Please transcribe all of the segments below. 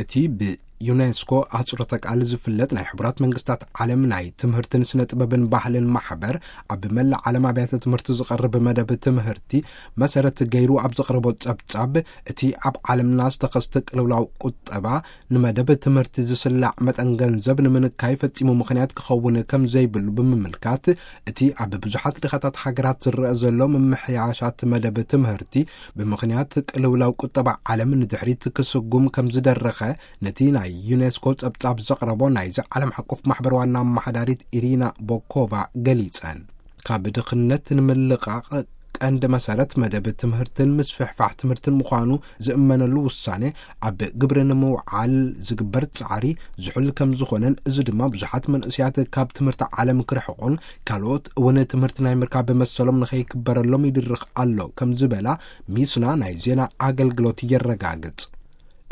እቲ ብዩኔስኮ ኣጽሮተ ቃል ዝፍለጥ ናይ ሕቡራት መንግስታት ዓለም ናይ ትምህርትን ስነ ጥበብን ባህልን ማሕበር፣ ኣብ መላእ ዓለም ኣብያተ ትምህርቲ ዝቐርብ መደብ ትምህርቲ መሰረት ገይሩ ኣብ ዘቕረቦ ጸብጻብ፣ እቲ ኣብ ዓለምና ዝተኸስተ ቅልውላው ቁጠባ ንመደብ ትምህርቲ ዝስላዕ መጠን ገንዘብ ንምንካይ ፈጺሙ ምኽንያት ክኸውን ከም ዘይብሉ ብምምልካት፣ እቲ ኣብ ብዙሓት ድኻታት ሃገራት ዝረአ ዘሎ ምምሕያሻት መደብ ትምህርቲ ብምኽንያት ቅልውላው ቁጠባ ዓለም ንድሕሪት ክስጉም ከም ዝደረኸ፣ ነቲ ናይ ዩኔስኮ ጸብጻብ ዘቕረቦ ናይዚ ዓለም ሓቆፍ ማሕበር ዋና ኣመሓዳሪት ኢሪና ቦኮቫ ገሊጸን። ካብ ድኽነት ንምልቓቕ ቀንዲ መሰረት መደብ ትምህርትን ምስፍሕፋሕ ትምህርትን ምዃኑ ዝእመነሉ ውሳኔ ኣብ ግብሪ ንምውዓል ዝግበር ጻዕሪ ዝሑል ከም ዝኾነን፣ እዚ ድማ ብዙሓት መንእስያት ካብ ትምህርቲ ዓለም ክርሕቑን ካልኦት እውን ትምህርቲ ናይ ምርካብ መሰሎም ንኸይክበረሎም ይድርኽ ኣሎ ከም ዝበላ ሚስና ናይ ዜና ኣገልግሎት የረጋግጽ።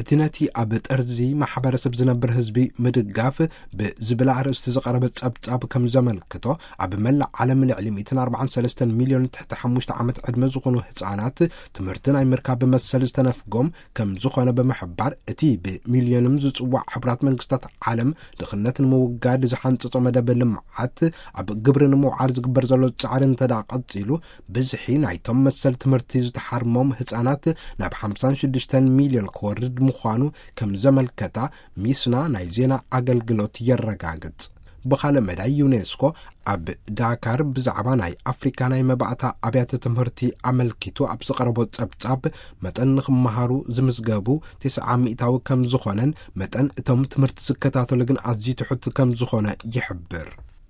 እቲ ነቲ ኣብ ጠርዚ ማሕበረሰብ ዝነብር ህዝቢ ምድጋፍ ብዝብል ኣርእስቲ ዝቐረበ ጸብጻብ ከም ዘመልክቶ፣ ኣብ መላእ ዓለም ልዕሊ ሚእትን ኣርባዓን ሰለስተን ሚልዮን ትሕቲ ሓሙሽተ ዓመት ዕድመ ዝኾኑ ህጻናት ትምህርቲ ናይ ምርካብ መሰል ዝተነፍጎም ከም ዝኾነ ብምሕባር፣ እቲ ብሚልዮንም ዝጽዋዕ ሕቡራት መንግስታት ዓለም ድኽነት ንምውጋድ ዝሓንጸጾ መደብ ልምዓት ኣብ ግብሪ ንምውዓል ዝግበር ዘሎ ጻዕሪ እንተ ደኣ ቀጺሉ፣ ብዝሒ ናይቶም መሰል ትምህርቲ ዝተሓርሞም ህጻናት ናብ ሓምሳን ሽዱሽተን ሚልዮን ክወርድ ምዃኑ ከም ዘመልከታ ሚስና ናይ ዜና ኣገልግሎት የረጋግጽ። ብኻልእ መዳይ፣ ዩኔስኮ ኣብ ዳካር ብዛዕባ ናይ ኣፍሪካ ናይ መባእታ ኣብያተ ትምህርቲ ኣመልኪቱ ኣብ ዝቐረቦ ጸብጻብ፣ መጠን ንኽመሃሩ ዝምዝገቡ ተስዓ ሚእታዊ ከም ዝኾነን፣ መጠን እቶም ትምህርቲ ዝከታተሉ ግን ኣዝዩ ትሑት ከም ዝኾነ ይሕብር።